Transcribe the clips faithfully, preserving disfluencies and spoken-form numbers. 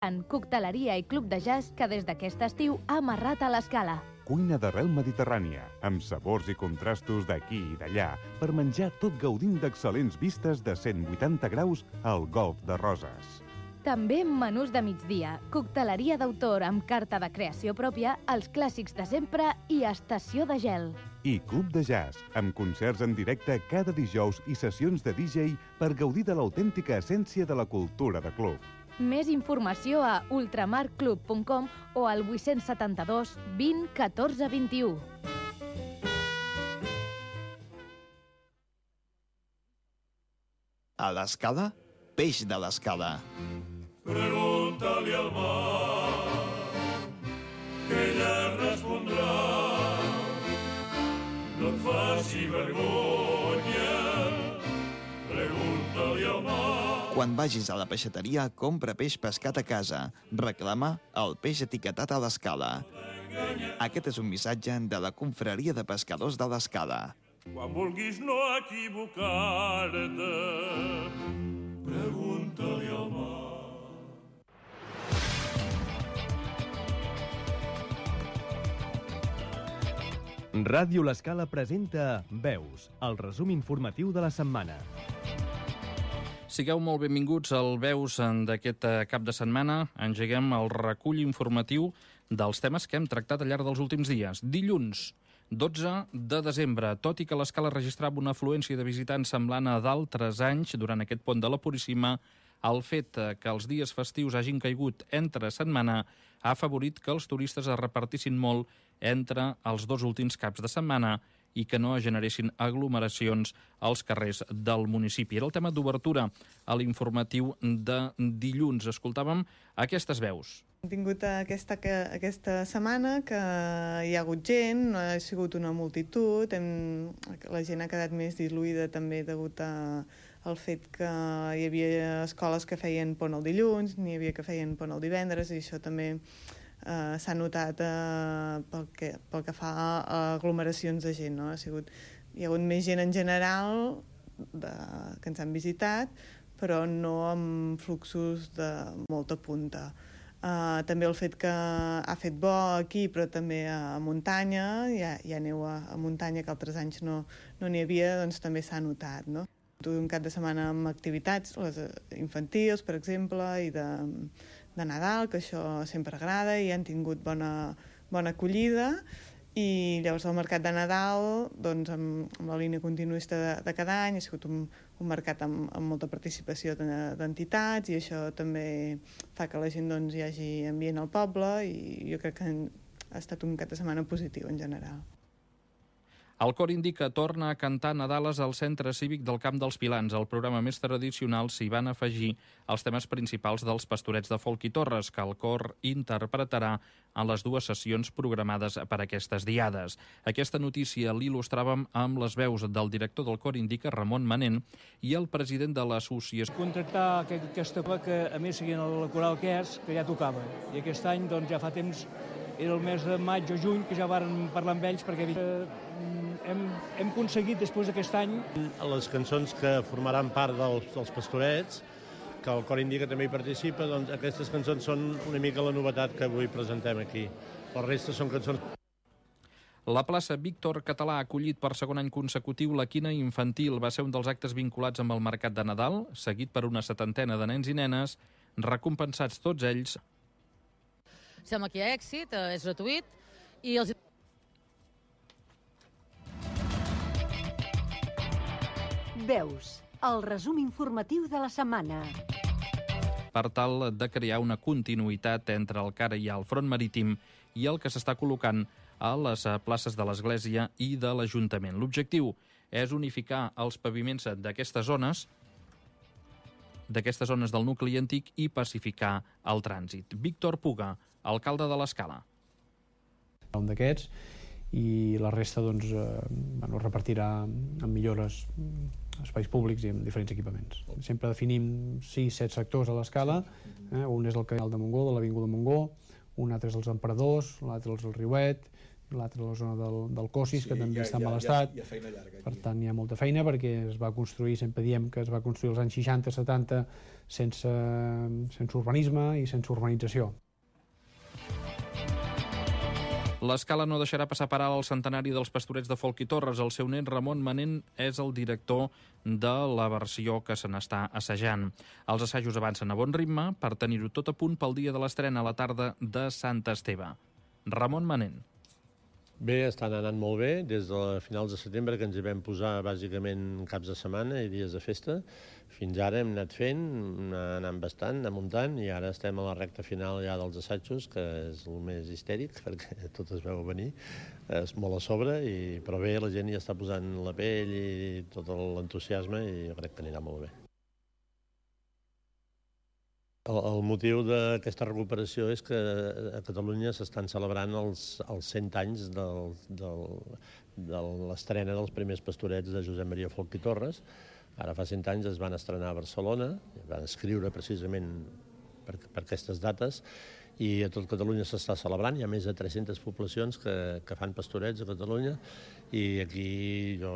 En cocteleria i club de jazz que des d'aquest estiu ha amarrat a l'Escala. Cuina d'arrel mediterrània, amb sabors i contrastos d'aquí i d'allà, per menjar tot gaudint d'excel·lents vistes de cent vuitanta graus al Golf de Roses. També menús de migdia, cocteleria d'autor amb carta de creació pròpia, els clàssics de sempre i estació de gel. I club de jazz, amb concerts en directe cada dijous i sessions de D J per gaudir de l'autèntica essència de la cultura de club. Més informació a ultramarclub punt com o al vuit set dos, vint, catorze, vint-i-u. A l'Escala, peix de l'Escala. Pregunta-li al mar, que ella respondrà. No et faci vergonya, pregunta-li al mar. Quan vagis a la peixateria, compra peix pescat a casa. Reclama el peix etiquetat a l'Escala. Aquest és un missatge de la Confraria de Pescadors de l'Escala. Quan vulguis no equivocar-te, pregunta-li al mar. Ràdio L'Escala presenta Veus, el resum informatiu de la setmana. Sigueu molt benvinguts al Veus d'aquest cap de setmana. Engeguem el recull informatiu dels temes que hem tractat al llarg dels últims dies. Dilluns, dotze de desembre, tot i que l'Escala registrava una afluència de visitants semblant a d'altres anys durant aquest pont de la Puríssima, el fet que els dies festius hagin caigut entre setmana ha afavorit que els turistes es repartissin molt entre els dos últims caps de setmana i que no es generessin aglomeracions als carrers del municipi. Era el tema d'obertura a l'informatiu de dilluns. Escoltàvem aquestes veus. Hem tingut aquesta, aquesta setmana que hi ha hagut gent, no ha sigut una multitud, hem, la gent ha quedat més diluïda també degut a, al fet que hi havia escoles que feien pont el dilluns, n'hi havia que feien pont el divendres, i això també eh, s'ha notat eh, pel, que, pel que fa a aglomeracions de gent. No? Ha sigut, hi ha hagut més gent en general de, que ens han visitat, però no amb fluxos de molta punta. Uh, també el fet que ha fet bo aquí, però també a muntanya, hi ha, hi ha neu a, a muntanya que altres anys no no n'hi havia, doncs també s'ha notat, no? Un cap de setmana amb activitats, les infantils, per exemple, i de, de Nadal, que això sempre agrada, i han tingut bona, bona acollida. I llavors el mercat de Nadal, doncs, amb, amb la línia continuista de, de cada any, ha sigut un, un mercat amb, amb molta participació d'entitats, i això també fa que la gent, doncs, hi hagi ambient al poble, i jo crec que ha estat un cap de setmana positiu en general. El cor Indica torna a cantar Nadales al Centre Cívic del Camp dels Pilans. Al programa més tradicional s'hi van afegir els temes principals dels Pastorets de Folk i Torres, que el cor interpretarà en les dues sessions programades per aquestes diades. Aquesta notícia l'il·lustràvem amb les veus del director del cor Indica, Ramon Manent, i el president de l'associació. Contractar aquesta copa que, a més, seguint la coral que és, que ja tocava. I aquest any, doncs, ja fa temps, era el mes de maig o juny, que ja varen parlar amb ells, perquè hem, hem aconseguit, després d'aquest any... Les cançons que formaran part dels, dels Pastorets, que el Cor Indica també hi participa, doncs aquestes cançons són una mica la novetat que avui presentem aquí. La resta són cançons... La plaça Víctor Català ha acollit per segon any consecutiu la quina infantil. Va ser un dels actes vinculats amb el Mercat de Nadal, seguit per una setantena de nens i nenes, recompensats tots ells. Sembla que hi ha èxit, és gratuït, i els... Veus, el resum informatiu de la setmana. Per tal de crear una continuïtat entre el que ara hi ha al front marítim i el que s'està col·locant a les places de l'Església i de l'Ajuntament. L'objectiu és unificar els paviments d'aquestes zones d'aquestes zones del nucli antic i pacificar el trànsit. Víctor Puga, alcalde de l'Escala. Un d'aquests, i la resta doncs, eh, bueno, repartirà en millores espais públics i en diferents equipaments. Sempre definim sis set sectors a l'Escala. Eh? Un és el canal de Montgó, de l'Avinguda Montgó, un altre és els Emperadors, l'altre és el Riuet, l'altre a la zona del, del Cosis, Sí, que també hi ha- està en hi ha- mal hi ha- estat. hi ha feina llarga aquí. Per tant, hi ha molta feina perquè es va construir, sempre diem que es va construir als anys seixanta setanta sense, sense urbanisme i sense urbanització. L'Escala no deixarà passar per alt el centenari dels Pastorets de Folc i Torres. El seu net, Ramon Manent, és el director de la versió que se n'està assajant. Els assajos avancen a bon ritme per tenir-ho tot a punt pel dia de l'estrena a la tarda de Sant Esteve. Ramon Manent. Bé, estan anant molt bé, des de finals de setembre que ens hi vam posar bàsicament caps de setmana i dies de festa. Fins ara hem anat fent, anant bastant, amuntant, i ara estem a la recta final ja dels assajos, que és el més histèric, perquè tot es veu venir, és molt a sobre, i, però bé, la gent ja està posant la pell i tot l'entusiasme i jo crec que anirà molt bé. El, el motiu d'aquesta recuperació és que a Catalunya s'estan celebrant els, els cent anys del, del, de l'estrena dels primers pastorets de Josep Maria Folch i Torres. Ara fa cent anys es van estrenar a Barcelona, van escriure precisament per, per aquestes dates, i a tot Catalunya s'està celebrant. Hi ha més de tres-centes poblacions que, que fan pastorets a Catalunya, i aquí jo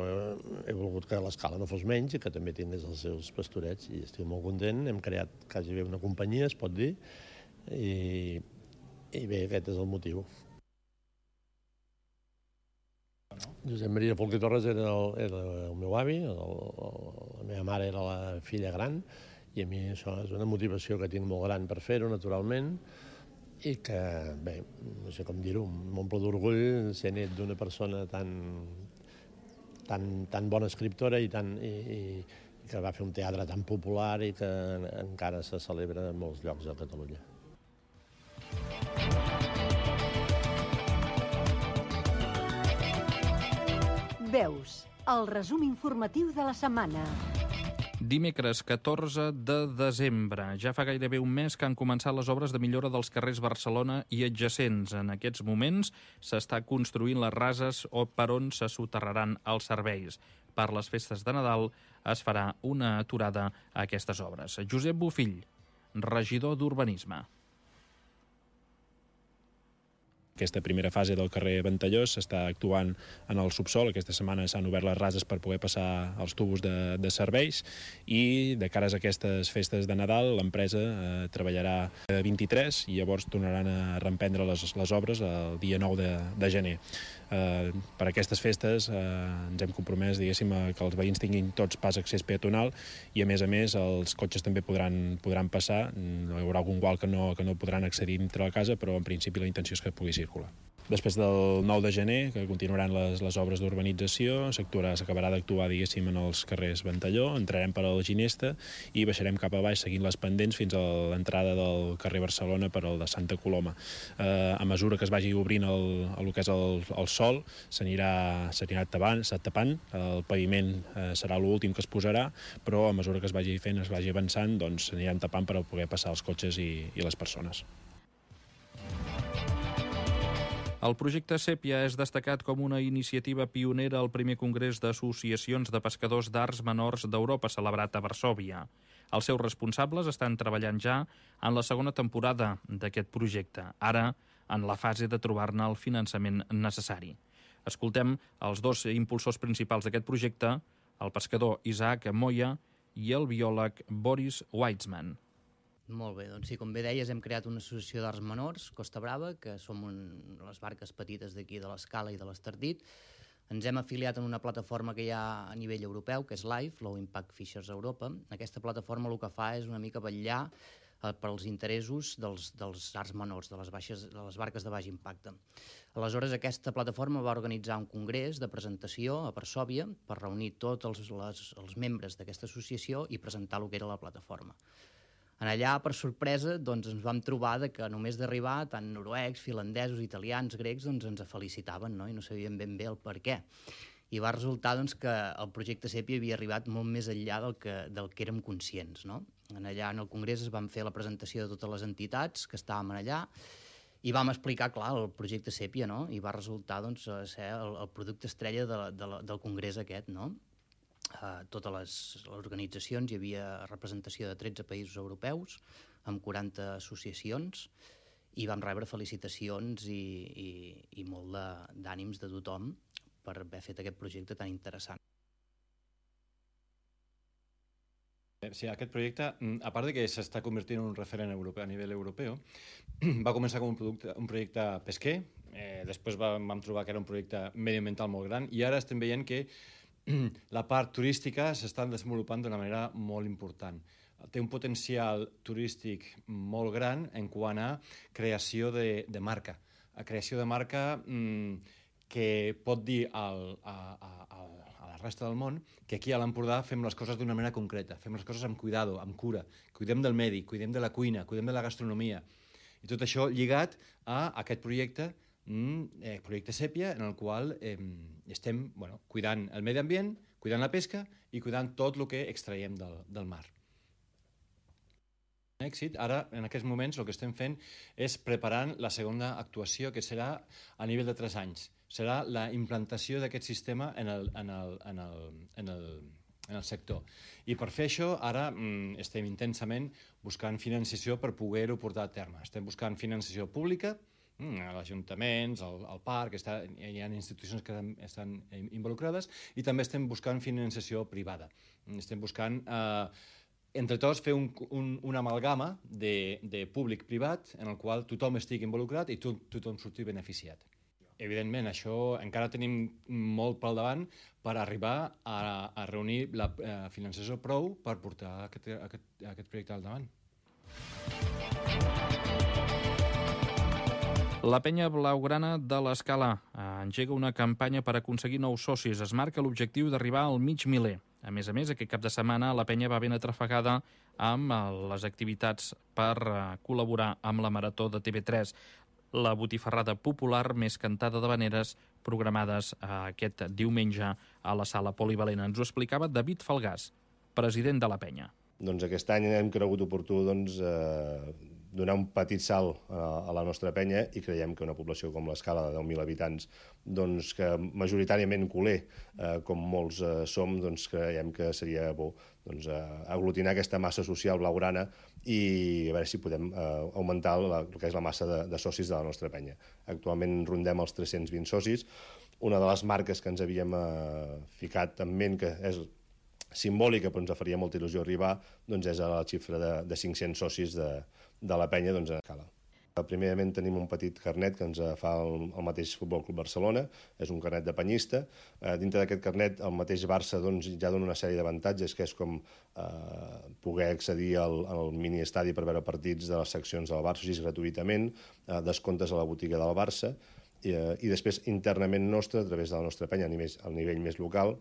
he volgut que l'Escala no fos menys i que també tingués els seus pastorets, i estic molt content. Hem creat quasi bé una companyia, es pot dir, i, i bé, aquest és el motiu. Josep Maria Folch i Torres era el, era el meu avi, el, el, la meva mare era la filla gran, i a mi això és una motivació que tinc molt gran per fer-ho, naturalment, i que, bé, no sé com dir-ho, m'omple d'orgull ser net d'una persona tan, tan, tan bona escriptora i, tan, i, i que va fer un teatre tan popular i que encara se celebra en molts llocs de Catalunya. Veus, el resum informatiu de la setmana. Dimecres catorze de desembre. Ja fa gairebé un mes que han començat les obres de millora dels carrers Barcelona i adjacents. En aquests moments s'està construint les rases o per on se soterraran els serveis. Per les festes de Nadal es farà una aturada a aquestes obres. Josep Bofill, regidor d'Urbanisme. Aquesta primera fase del carrer Ventallós s'està actuant en el subsol. Aquesta setmana s'han obert les rases per poder passar els tubos de, de serveis, i de cares a aquestes festes de Nadal l'empresa eh, treballarà el vint-i-tres i llavors tornaran a reemprendre les, les obres el dia nou de, de gener. Eh, per aquestes festes eh, ens hem compromès, diguéssim, que els veïns tinguin tots pas accés peatonal, i a més a més els cotxes també podran, podran passar. Hi haurà algun gual que no, que no podran accedir dintre la casa, però en principi la intenció és que pugui circular. Després del nou de gener, que continuaran les, les obres d'urbanització, s'acabarà d'actuar, diguéssim, en els carrers Ventalló, entrarem per al Ginesta i baixarem cap a baix seguint les pendents fins a l'entrada del carrer Barcelona per al de Santa Coloma. Eh, a mesura que es vagi obrint el, el que és el, el sol, s'anirà tapant, tapant, el paviment eh, serà l'últim que es posarà, però a mesura que es vagi fent, es vagi avançant, doncs s'aniran tapant per poder passar els cotxes i, i les persones. El projecte Sèpia és destacat com una iniciativa pionera al primer congrés d'associacions de pescadors d'arts menors d'Europa celebrat a Varsòvia. Els seus responsables estan treballant ja en la segona temporada d'aquest projecte, ara en la fase de trobar-ne el finançament necessari. Escoltem els dos impulsors principals d'aquest projecte, el pescador Isaac Moya i el biòleg Boris Weitzman. Molt bé, doncs sí, com bé deies, hem creat una associació d'arts menors, Costa Brava, que som un, les barques petites d'aquí de l'Escala i de l'Estartit. Ens hem afiliat en una plataforma que hi ha a nivell europeu, que és LIFE, Low Impact Fishers Europa. Aquesta plataforma el que fa és una mica vetllar eh, per als interessos dels, dels arts menors, de les, baixes, de les barques de baix impacte. Aleshores, aquesta plataforma va organitzar un congrés de presentació a Varsòvia per reunir tots els, les, els membres d'aquesta associació i presentar el que era la plataforma. En allà, per sorpresa, doncs, ens vam trobar de que només d'arribar, tant noruecs, finlandesos, italians, grecs, doncs, ens felicitaven, no? I no sabien ben bé el per què. I va resultar doncs, que el projecte Sèpia havia arribat molt més enllà del que, del que érem conscients. No? En allà, en el congrés, es van fer la presentació de totes les entitats que estàvem allà i vam explicar, clar, el projecte Sèpia, no? I va resultar doncs, ser el, el producte estrella de, de, del congrés aquest, no? Uh, totes les, les organitzacions, hi havia representació de tretze països europeus, amb quaranta associacions, i vam rebre felicitacions i, i, i molt d'ànims de, de tothom per haver fet aquest projecte tan interessant. Sí, aquest projecte, a part de que s'està convertint en un referent europeu, a nivell europeu, va començar com un, producte, un projecte pesquer, eh, després va, vam trobar que era un projecte mediambiental molt gran, i ara estem veient que la part turística s'està desenvolupant d'una manera molt important. Té un potencial turístic molt gran en quant a creació de, de marca. A creació de marca mmm, que pot dir al, a, a, a, a la resta del món que aquí a l'Empordà fem les coses d'una manera concreta, fem les coses amb cuidado, amb cura, cuidem del medi, cuidem de la cuina, cuidem de la gastronomia. I tot això lligat a aquest projecte, eh, projecte Sèpia, en el qual eh, estem bueno, cuidant el medi ambient, cuidant la pesca i cuidant tot el que extraiem del, del mar. Èxit. Ara, en aquests moments, el que estem fent és preparant la segona actuació, que serà a nivell de tres anys. Serà la implantació d'aquest sistema en el, en el, en el, en el, en el sector. I per fer això, ara mm, estem intensament buscant financiació per poder-ho portar a terme. Estem buscant financiació pública, mm, als ajuntaments, al, al parc, està, hi ha institucions que estan involucrades, i també estem buscant financiació privada. Estem buscant... Eh, entre tots, fer un, un, una amalgama de, de públic-privat en el qual tothom estigui involucrat i to, tothom surti beneficiat. Evidentment, això encara tenim molt pel davant per arribar a, a reunir la eh, financiació prou per portar aquest, aquest, aquest projecte al davant. La penya blaugrana de l'Escala engega una campanya per aconseguir nous socis. Es marca l'objectiu d'arribar al mig miler. A més a més, aquest cap de setmana la penya va ben atrafegada amb les activitats per col·laborar amb la Marató de T V tres, la botifarrada popular més cantada d'habaneres programades aquest diumenge a la sala polivalent. Ens ho explicava David Falgàs, president de la penya. Doncs aquest any hem cregut oportú doncs, eh, donar un petit salt a, a la nostra penya i creiem que una població com l'Escala de deu mil habitants, doncs, que majoritàriament culer, eh, com molts eh, som, doncs, creiem que seria bo doncs, eh, aglutinar aquesta massa social blaugrana i a veure si podem eh, augmentar la, el que és la massa de, de socis de la nostra penya. Actualment rondem els tres-cents vint socis. Una de les marques que ens havíem eh, ficat en ment, que és simbòlica, però ens faria molta il·lusió arribar, doncs és a la xifra de, de cinc-cents socis de, de la penya doncs, a Escala. Primerament tenim un petit carnet que ens fa el, el mateix Futbol Club Barcelona, és un carnet de penyista. Eh, dintre d'aquest carnet el mateix Barça doncs, ja dona una sèrie d'avantatges, que és com eh, poder accedir al, al mini-estadi per veure partits de les seccions del Barça, així gratuïtament, eh, descomptes a la botiga del Barça, i, eh, i després internament nostre, a través de la nostra penya, a nivell, a nivell més local,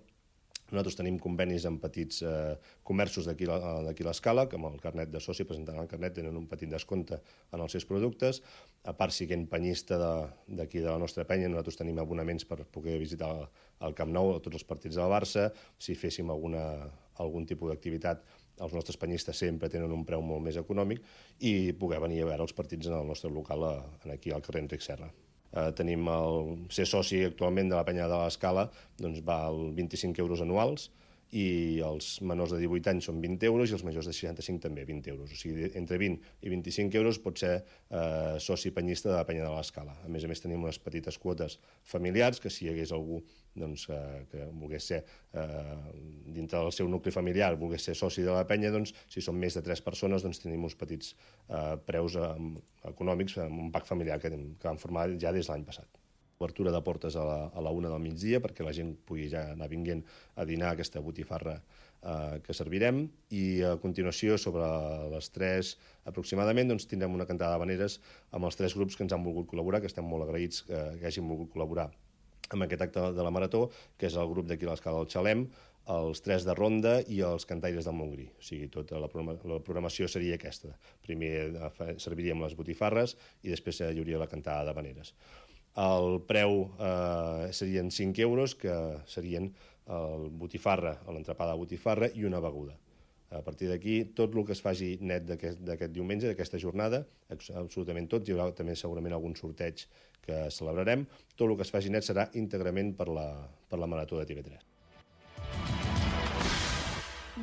nosaltres tenim convenis amb petits eh, comerços d'aquí a l'Escala, que amb el carnet de soci, presentant el carnet, tenen un petit descompte en els seus productes. A part, siguent penyista d'aquí de, de la nostra penya, nosaltres tenim abonaments per poder visitar el, el Camp Nou, tots els partits del Barça. Si féssim alguna, algun tipus d'activitat, els nostres penyistes sempre tenen un preu molt més econòmic i poder venir a veure els partits en el nostre local, aquí al carrer Enric Serra. Eh, tenim el ser soci actualment de la penya de l'Escala, doncs val vint-i-cinc euros anuals i els menors de divuit anys són vint euros i els majors de seixanta-cinc també vint euros. O sigui, entre vint i vint-i-cinc euros pot ser eh, soci penyista de la penya de l'Escala. A més a més tenim unes petites quotes familiars que si hi hagués algú doncs, eh, que volgués ser eh, dintre del seu nucli familiar, volgués ser soci de la penya, doncs, si són més de tres persones doncs, tenim uns petits eh, preus eh, econòmics, amb un pack familiar que, que vam formar ja des de l'any passat. Obertura de portes a la, a la una del migdia perquè la gent pugui ja anar vinguent a dinar aquesta botifarra eh, que servirem, i a continuació sobre les tres aproximadament doncs, tindrem una cantada d'habaneres amb els tres grups que ens han volgut col·laborar, que estem molt agraïts que, que hagin volgut col·laborar amb aquest acte de la Marató, que és el grup d'aquí a l'Escala del Xalem, els tres de Ronda i els cantaires del Montgrí. O sigui, tota la, programa, la programació seria aquesta. Primer serviríem les botifarres i després hi hauria la cantada d'habaneres. El preu eh, serien cinc euros, que serien el botifarra, l'entrepà de botifarra i una beguda. A partir d'aquí, tot el que es faci net d'aquest diumenge, d'aquesta jornada, absolutament tot, hi haurà també segurament algun sorteig que celebrarem, tot el que es faci net serà íntegrament per la, per la Marató de T V tres.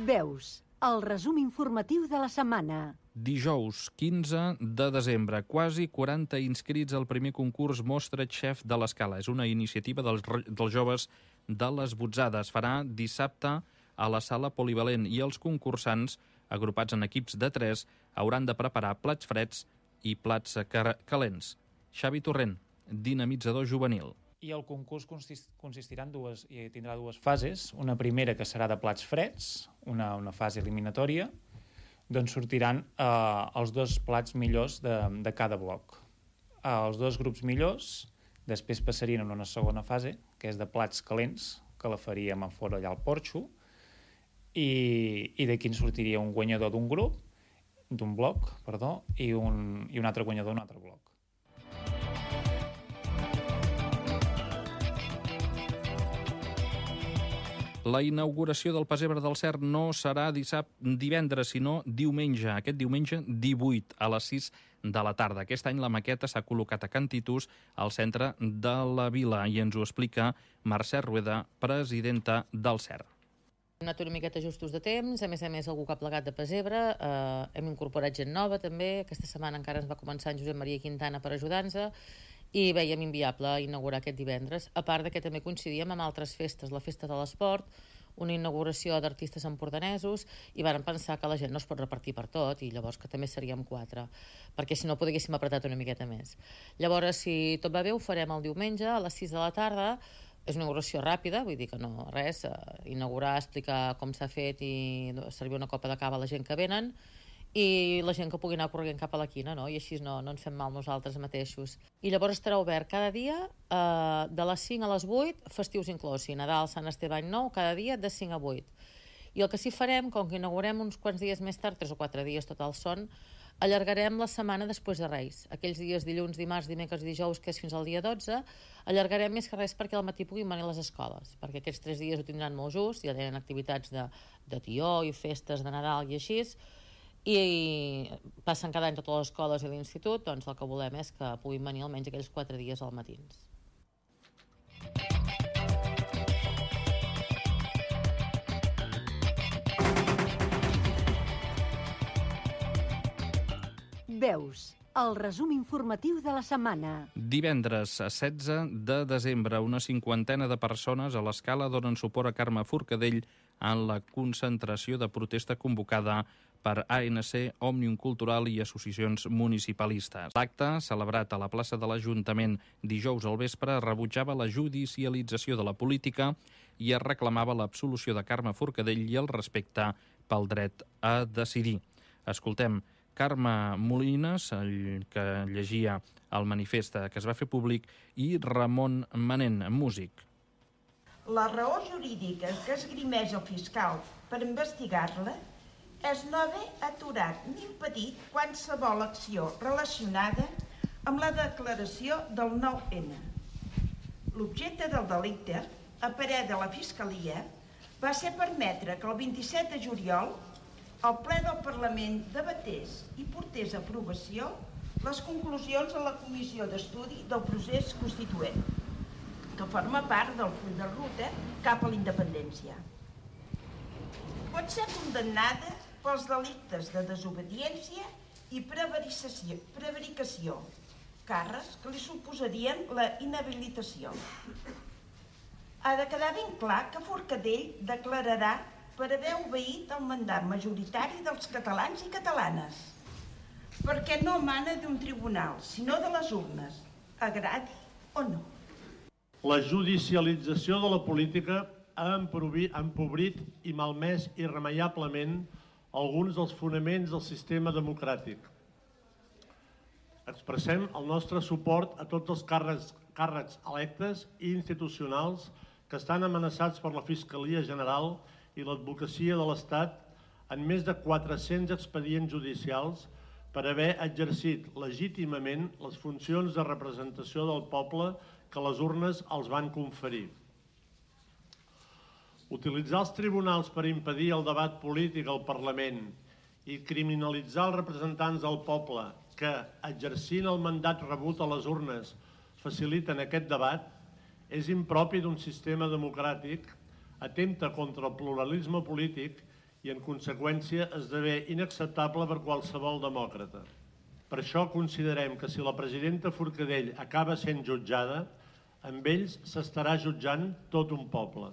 Veus, el resum informatiu de la setmana. Dijous, quinze de desembre, quasi quaranta inscrits al primer concurs Mostra Chef de l'Escala. És una iniciativa dels, dels joves de les Botzades. Farà dissabte a la sala polivalent i els concursants, agrupats en equips de tres, hauran de preparar plats freds i plats calents. Xavi Torrent, dinamitzador juvenil. I el concurs consistirà en dues, i tindrà dues fases. Una primera que serà de plats freds, una, una fase eliminatòria, d'on sortiran eh, els dos plats millors de, de cada bloc. Eh, els dos grups millors després passarien a una segona fase, que és de plats calents, que la faríem a fora allà al porxo, i, i d'aquí en sortiria un guanyador d'un grup, d'un bloc, perdó, i un, i un altre guanyador d'un altre bloc. La inauguració del Pessebre del Cert no serà dissabte, divendres, sinó diumenge, aquest diumenge divuit, a les sis de la tarda. Aquest any la maqueta s'ha col·locat a Can Titus, al centre de la vila, i ens ho explica Mercè Rueda, presidenta del Cert. Hem anat una miqueta justos de temps, a més a més algú que ha plegat de pessebre, eh, hem incorporat gent nova també, aquesta setmana encara ens va començar en Josep Maria Quintana per ajudar-nos, i veiem inviable inaugurar aquest divendres, a part que també coincidíem amb altres festes, la Festa de l'Esport, una inauguració d'artistes empordanesos, i vàrem pensar que la gent no es pot repartir per tot, i llavors que també seríem quatre, perquè si no podríem apretar una miqueta més. Llavors, si tot va bé, ho farem el diumenge a les sis de la tarda. És una inauguració ràpida, vull dir que no res, eh, inaugurar, explicar com s'ha fet i servir una copa de cava a la gent que venen, i la gent que pugui anar corrent cap a la quina, no? I així no, no ens fem mal nosaltres mateixos. I llavors estarà obert cada dia, eh, de les cinc a les vuit, festius inclòs, Nadal, Sant Esteve, Any Nou, cada dia de cinc a vuit. I el que sí farem, com que inaugurem uns quants dies més tard, tres o quatre dies total són, allargarem la setmana després de Reis. Aquells dies dilluns, dimarts, dimecres i dijous, que és fins al dia dotze, allargarem més que res perquè al matí puguin venir les escoles, perquè aquests tres dies ho tindran molt just, ja tenen activitats de, de tió i festes de Nadal i així, i passen cada any totes les escoles i l'institut, doncs el que volem és que puguin venir almenys aquells quatre dies al matins. Veus, el resum informatiu de la setmana. Divendres, setze de desembre, una cinquantena de persones a l'Escala donen suport a Carme Forcadell en la concentració de protesta convocada per A N C, Òmnium Cultural i associacions municipalistes. L'acte, celebrat a la plaça de l'Ajuntament dijous al vespre, rebutjava la judicialització de la política i es reclamava l'absolució de Carme Forcadell i el respecte pel dret a decidir. Escoltem Carme Molines, el que llegia el manifest que es va fer públic, i Ramon Manent, músic. La raó jurídica que esgrimeix el fiscal per investigar-la és no haver aturat ni impedit qualsevol acció relacionada amb la declaració del nou ene. L'objecte del delicte, a parer de la Fiscalia, va ser permetre que el vint-i-set de juliol el ple del Parlament debatés i portés a aprovació les conclusions de la Comissió d'Estudi del Procés Constituent, que forma part del full de ruta cap a la independència. Pot ser condemnada pels delictes de desobediència i prevaricació, prevaricació, càrrecs que li suposarien la inhabilitació. Ha de quedar ben clar que Forcadell declararà per haver obeït el mandat majoritari dels catalans i catalanes, perquè no mana d'un tribunal, sinó de les urnes, agradi o no. La judicialització de la política ha empobrit i malmès irremeiablement alguns dels fonaments del sistema democràtic. Expressem el nostre suport a tots els càrrecs, càrrecs electes i institucionals que estan amenaçats per la Fiscalia General i l'advocacia de l'Estat en més de quatre-cents expedients judicials per haver exercit legítimament les funcions de representació del poble que les urnes els van conferir. Utilitzar els tribunals per impedir el debat polític al Parlament i criminalitzar els representants del poble que, exercint el mandat rebut a les urnes, faciliten aquest debat, és impropi d'un sistema democràtic, atempta contra el pluralisme polític i, en conseqüència, esdevé inacceptable per qualsevol demòcrata. Per això considerem que si la presidenta Forcadell acaba sent jutjada, amb ells s'estarà jutjant tot un poble.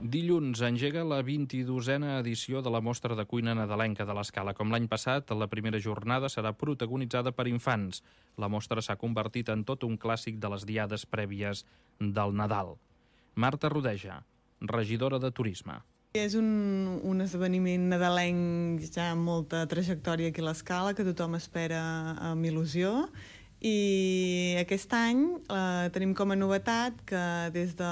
Dilluns engega la vint-i-dosena edició de la Mostra de Cuina Nadalenca de l'Escala. Com l'any passat, la primera jornada serà protagonitzada per infants. La mostra s'ha convertit en tot un clàssic de les diades prèvies del Nadal. Marta Rodeja, regidora de Turisme. És un, un esdeveniment nadalenc ja amb molta trajectòria aquí a l'Escala, que tothom espera amb il·lusió. I aquest any eh, tenim com a novetat que des de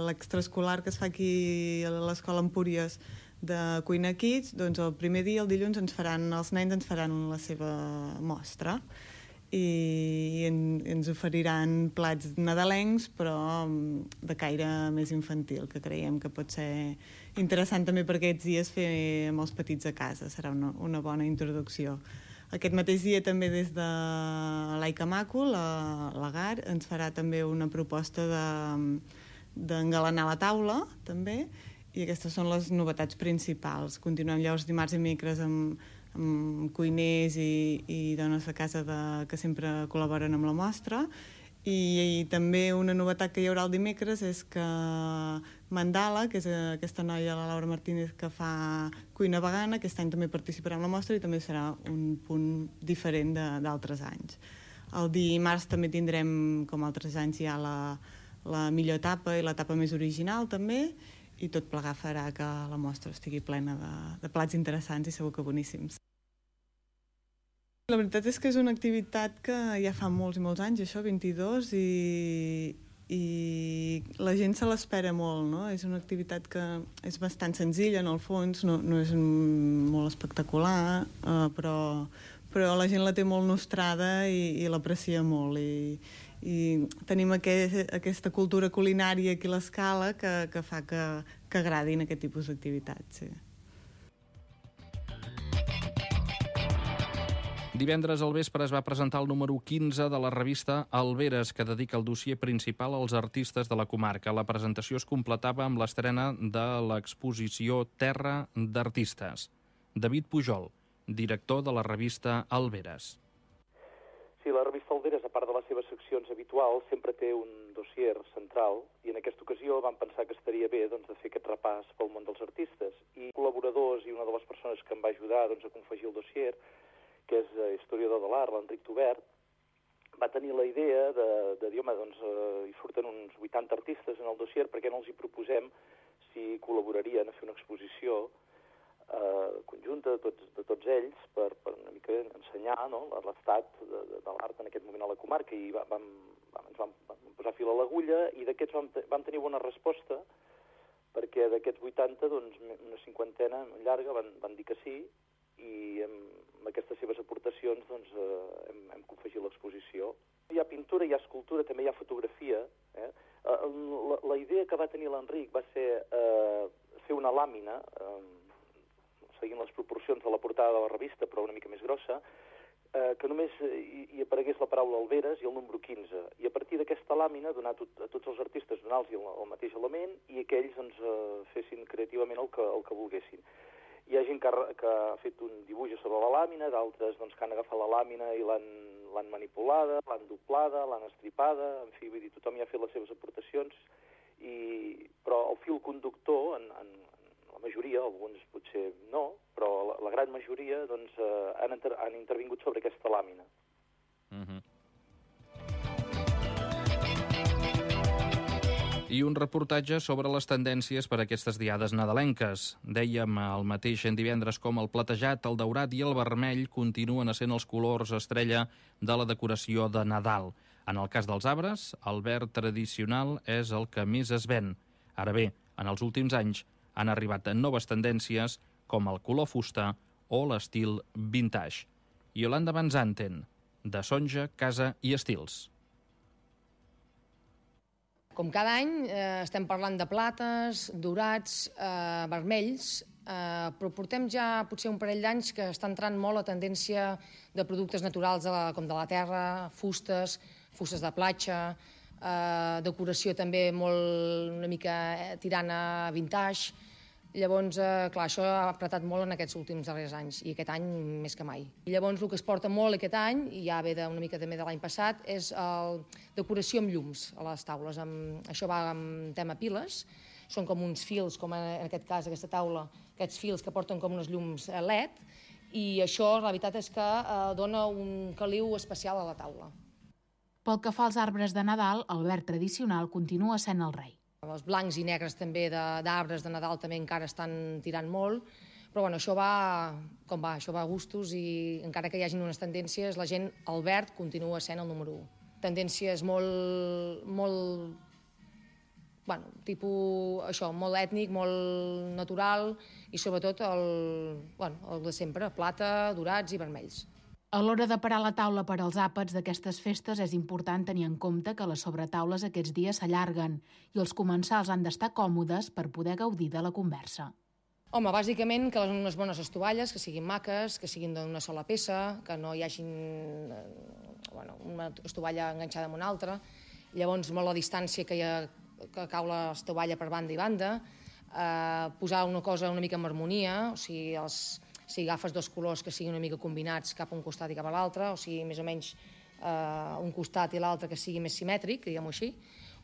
l'extraescolar que es fa aquí a l'Escola Empúries de Cuina Kids, doncs el primer dia, el dilluns, ens faran, els nens ens faran la seva mostra i en, ens oferiran plats nadalencs, però de caire més infantil, que creiem que pot ser interessant també per aquests dies fer amb els petits a casa. Serà una, una bona introducció. Aquest mateix dia també des de l'Aica Maco, la, la G A R, ens farà també una proposta d'engalanar la taula, també, i aquestes són les novetats principals. Continuem llavors dimarts i dimecres amb, amb cuiners i, i dones de casa de, que sempre col·laboren amb la mostra, i, i també una novetat que hi haurà el dimecres és que Mandala, que és aquesta noia, la Laura Martínez, que fa cuina vegana, aquest any també participarà en la mostra i també serà un punt diferent d'altres anys. El dimarts també tindrem, com altres anys, ja la, la millor tapa i la tapa més original també, i tot plegar farà que la mostra estigui plena de, de plats interessants i segur que boníssims. La veritat és que és una activitat que ja fa molts i molts anys, això, vint-i-dos, i, i la gent se l'espera molt, no? És una activitat que és bastant senzilla, en el fons, no, no és molt espectacular, eh, però, però la gent la té molt nostrada i, i l'aprecia molt. I, i tenim aquest, aquesta cultura culinària aquí a l'Escala que, que fa que, que agradin aquest tipus d'activitats, sí. Divendres al vespre es va presentar el número quinze de la revista Alberes, que dedica el dossier principal als artistes de la comarca. La presentació es completava amb l'estrena de l'exposició Terra d'Artistes. David Pujol, director de la revista Alberes. Sí, la revista Alberes, a part de les seves seccions habituals, sempre té un dossier central i en aquesta ocasió vam pensar que estaria bé doncs, de fer aquest repàs pel món dels artistes. I col·laboradors i una de les persones que em va ajudar doncs, a confegir el dossier, que és historiador de l'art, l'Enric Tobert, va tenir la idea de, de dir, home, doncs eh, hi surten uns vuitanta artistes en el dossier, perquè no els hi proposem si col·laborarien a fer una exposició eh, conjunta de tots, de tots ells per, per una mica ensenyar, no?, l'estat de, de, de l'art en aquest moment a la comarca, i va, vam, ens vam, vam posar fil a l'agulla, i d'aquests vam, vam tenir bona resposta, perquè d'aquests vuitanta, doncs, una cinquantena llarga van, van dir que sí, i amb aquestes seves aportacions doncs, eh, hem, hem confegit l'exposició. Hi ha pintura, hi ha escultura, també hi ha fotografia. Eh? La, la idea que va tenir l'Enric va ser eh, fer una làmina, eh, seguint les proporcions de la portada de la revista, però una mica més grossa, eh, que només hi, hi aparegués la paraula Alberes i el número quinze. I a partir d'aquesta làmina, donar tot, a tots els artistes, donar-los el, el mateix element i que ells doncs, eh, fessin creativament el que, el que volguessin. Hi ha gent que ha, que ha fet un dibuix sobre la làmina, d'altres doncs, que han agafat la làmina i l'han manipulada, l'han doblada, l'han estripada, en fi, vull dir, tothom hi ha fet les seves aportacions, i, però el fil conductor, en, en, en la majoria, alguns potser no, però la, la gran majoria doncs, eh, han, inter, han intervingut sobre aquesta làmina. Mm-hmm. I un reportatge sobre les tendències per a aquestes diades nadalenques. Dèiem el mateix en divendres com el platejat, el daurat i el vermell continuen essent els colors estrella de la decoració de Nadal. En el cas dels arbres, el verd tradicional és el que més es ven. Ara bé, en els últims anys han arribat noves tendències com el color fusta o l'estil vintage. Iolanda Van Zanten, de Sonja, Casa i Estils. Com cada any eh, estem parlant de plates, dorats, eh, vermells, eh, però portem ja potser un parell d'anys que està entrant molt la tendència de productes naturals de la, com de la terra, fustes, fustes de platja, eh, decoració també molt una mica tirant a vintage. Llavors, eh, clar, això ha apretat molt en aquests últims darrers anys, i aquest any més que mai. I llavors el que es porta molt aquest any, i ja ve de, una mica també de l'any passat, és el, decoració amb llums a les taules. Amb, això va amb tema piles, són com uns fils, com en aquest cas, aquesta taula, aquests fils que porten com uns llums L E D, i això, la veritat és que eh, dona un caliu especial a la taula. Pel que fa als arbres de Nadal, el verd tradicional continua sent el rei. Els blancs i negres també d'arbres de, de Nadal també encara estan tirant molt, però bueno, això va com va, això va a gustos, i encara que hi hagi unes tendències, la gent, el verd continua sent el número u. Tendències molt, molt, bueno, tipus, això, molt ètnic, molt natural, i sobretot el, bueno, el de sempre, plata, dorats i vermells. A l'hora de parar la taula per als àpats d'aquestes festes és important tenir en compte que les sobretaules aquests dies s'allarguen i els comensals han d'estar còmodes per poder gaudir de la conversa. Home, bàsicament que les unes bones estovalles, que siguin maques, que siguin d'una sola peça, que no hi hagi bueno, una estovalla enganxada amb una altra. Llavors, molt la distància que, hi ha, que cau l'estovalla per banda i banda, eh, posar una cosa una mica en harmonia, o sigui, els... si agafes dos colors que siguin una mica combinats cap a un costat i cap a l'altre, o sigui, més o menys eh, un costat i l'altre que sigui més simètric, diguem-ho així.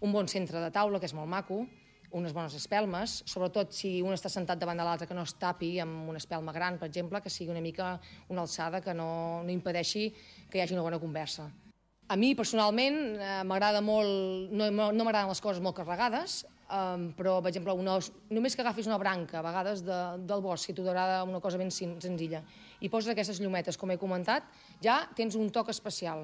Un bon centre de taula, que és molt maco, unes bones espelmes, sobretot si un està sentat davant de l'altre, que no es tapi amb una espelma gran, per exemple, que sigui una mica una alçada que no, no impedeixi que hi hagi una bona conversa. A mi, personalment, eh, m'agrada molt, no, no m'agraden les coses molt carregades, Um, però, per exemple, una, només que agafis una branca, a vegades, de, del bosc, si t'ho agrada una cosa ben senzilla, i poses aquestes llumetes, com he comentat, ja tens un toc especial.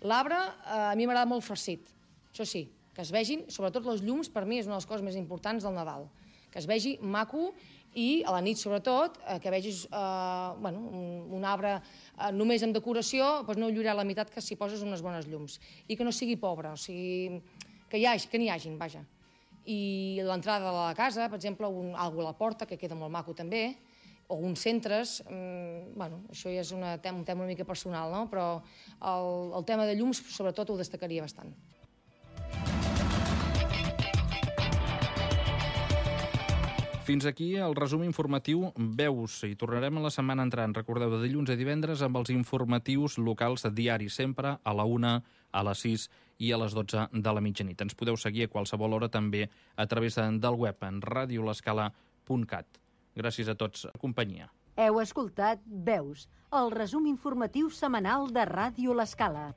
L'arbre, eh, a mi m'agrada molt farcit, això sí, que es vegin, sobretot els llums, per mi és una de les coses més importants del Nadal, que es vegi maco, i a la nit, sobretot, eh, que vegis eh, bueno, un, un arbre eh, només amb decoració, doncs no lluirà la meitat que si poses unes bones llums, i que no sigui pobre, o sigui, que, hi hagi, que n'hi hagin, vaja. I l'entrada de la casa, per exemple, un, algo a la porta, que queda molt maco també, o uns centres, mmm, bueno, això ja és una, un tema una mica personal, no? Però el, el tema de llums, sobretot, ho destacaria bastant. Fins aquí el resum informatiu Veus. Hi tornarem a la setmana entrant. Recordeu, de dilluns a divendres amb els informatius locals diaris, sempre a la una, a les sis i a les dotze de la mitjanit. Ens podeu seguir a qualsevol hora també a través del web en radio l'escala punt cat. Gràcies a tots per la companyia. Heu escoltat Veus, el resum informatiu setmanal de Ràdio L'Escala.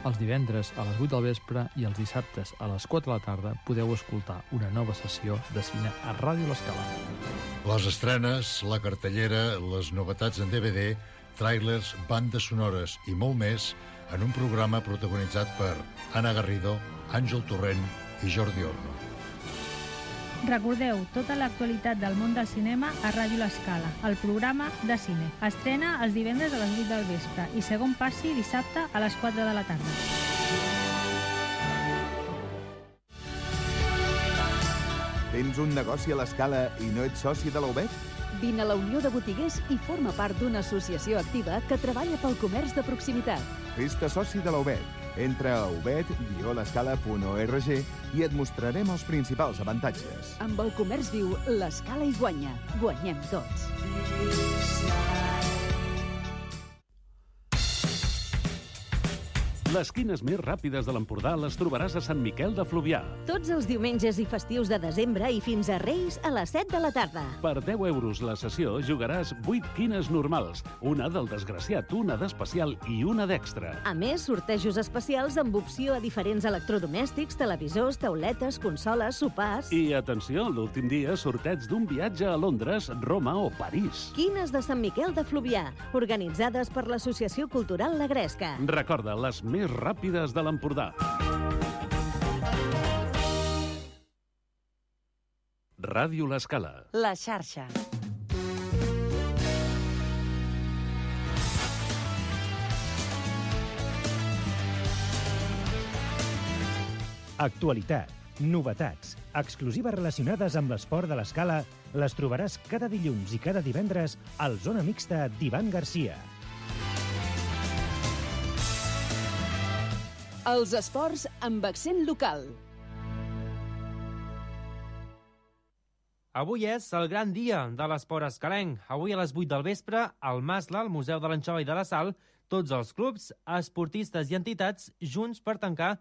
Els divendres a les vuit del vespre i els dissabtes a les quatre de la tarda podeu escoltar una nova sessió de cine a Ràdio L'Escala. Les estrenes, la cartellera, les novetats en D V D, tràilers, bandes sonores i molt més en un programa protagonitzat per Anna Garrido, Àngel Torrent i Jordi Orno. Recordeu tota l'actualitat del món del cinema a Ràdio L'Escala, el programa de cine. Estrena els divendres a les vuit del vespre i segon passi dissabte a les quatre de la tarda. Tens un negoci a l'Escala i no ets soci de la U B E T? Vine a la Unió de Botiguers i forma part d'una associació activa que treballa pel comerç de proximitat. Fes-te soci de la U B E T. Entra a u b e t guió l'escala punt org i et mostrarem els principals avantatges. Amb el comerç viu, l'Escala hi guanya. Guanyem tots. Les quines més ràpides de l'Empordà les trobaràs a Sant Miquel de Fluvià. Tots els diumenges i festius de desembre i fins a Reis a les set de la tarda. Per deu euros la sessió jugaràs vuit quines normals, una del desgraciat, una d'especial i una d'extra. A més, sortejos especials amb opció a diferents electrodomèstics, televisors, tauletes, consoles, sopars... I atenció, l'últim dia sorteig d'un viatge a Londres, Roma o París. Quines de Sant Miquel de Fluvià, organitzades per l'Associació Cultural La Gresca. Recorda, les més ràpides de l'Empordà. Ràdio L'Escala. La xarxa. Actualitat, Novetats, exclusives relacionades amb l'esport de l'Escala, les trobaràs cada dilluns i cada divendres al Zona Mixta d'Ivan Garcia. Els esports amb accent local. Avui és el gran dia de l'esport escalenc. Avui a les vuit del vespre, al Masla, al Museu de l'Anxova i de la Sal, tots els clubs, esportistes i entitats junts per tancar